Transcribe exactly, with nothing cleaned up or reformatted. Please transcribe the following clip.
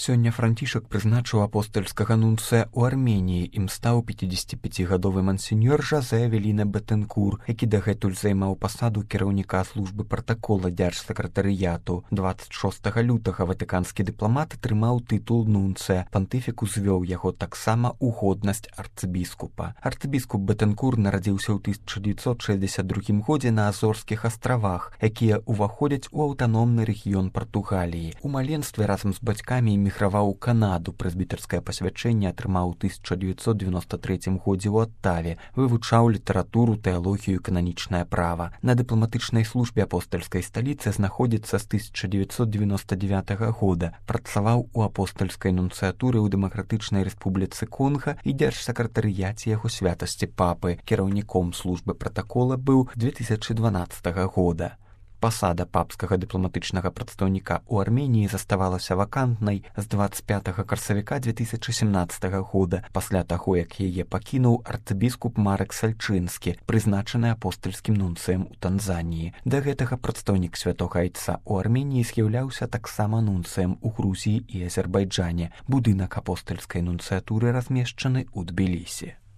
Сёння Францішак прызначыў апостальскага нунцыя ў Арменіі, ім стаў пяцідзесяціпяцігадовы мансеньор Жозе Авеліна Бетенкур, які дагэтуль займаў пасаду кіраўніка службы пратакола дзяржсакратарыяту. дваццаць шостага лютага ватыканскі дыпламат атрымаў тытул нунцыя. Пантыфік узвёў яго таксама ў годнасць арцыбіскупа. Арцыбіскуп Бетенкур нарадзіўся ў тысяча дзевяцьсот шэсцьдзесят другім годзе на Азорскіх астравах, якія ўваходзяць у аўтаномны рэгіён Партугаліі. У маленстве разам з бацькамі эміграваў у Канаду, прэзбітарскае пасвячэнне атрымаў у тысяча дзевяцьсот девяносто трэцім годзе ў Оттаве, вывучаў літаратуру, тэалогію і кананічнае права. На дыпламатычнай службе апостальскай сталіцы знаходзіцца з тысяча дзевяцьсот девяносто девятага года, працаваў у апостальскай нунцыятуры ў Дэмакратычнай Рэспубліцы Конга і дзяржсакратарыяце яго святасці папы. Кіраўніком службы пратакола быў две тысячи дванаццатага года. Пасада папскага дыпламатычнага прадстаўніка ў Арменіі заставалася вакантнай з дваццаць пятага красавіка две тысячи семнаццатага года, пасля таго, як яе пакінуў арцыбіскуп Марек Сальчынскі, прызначаны апостальскім нунцыем у Танзаніі. Да гэтага прадстаўнік святога айца ў Арменіі з'яўляўся таксама нунцыем у Грузіі і Азербайджане. Будынак апостальскай нунцыятуры размешчаны ў Тбілісі.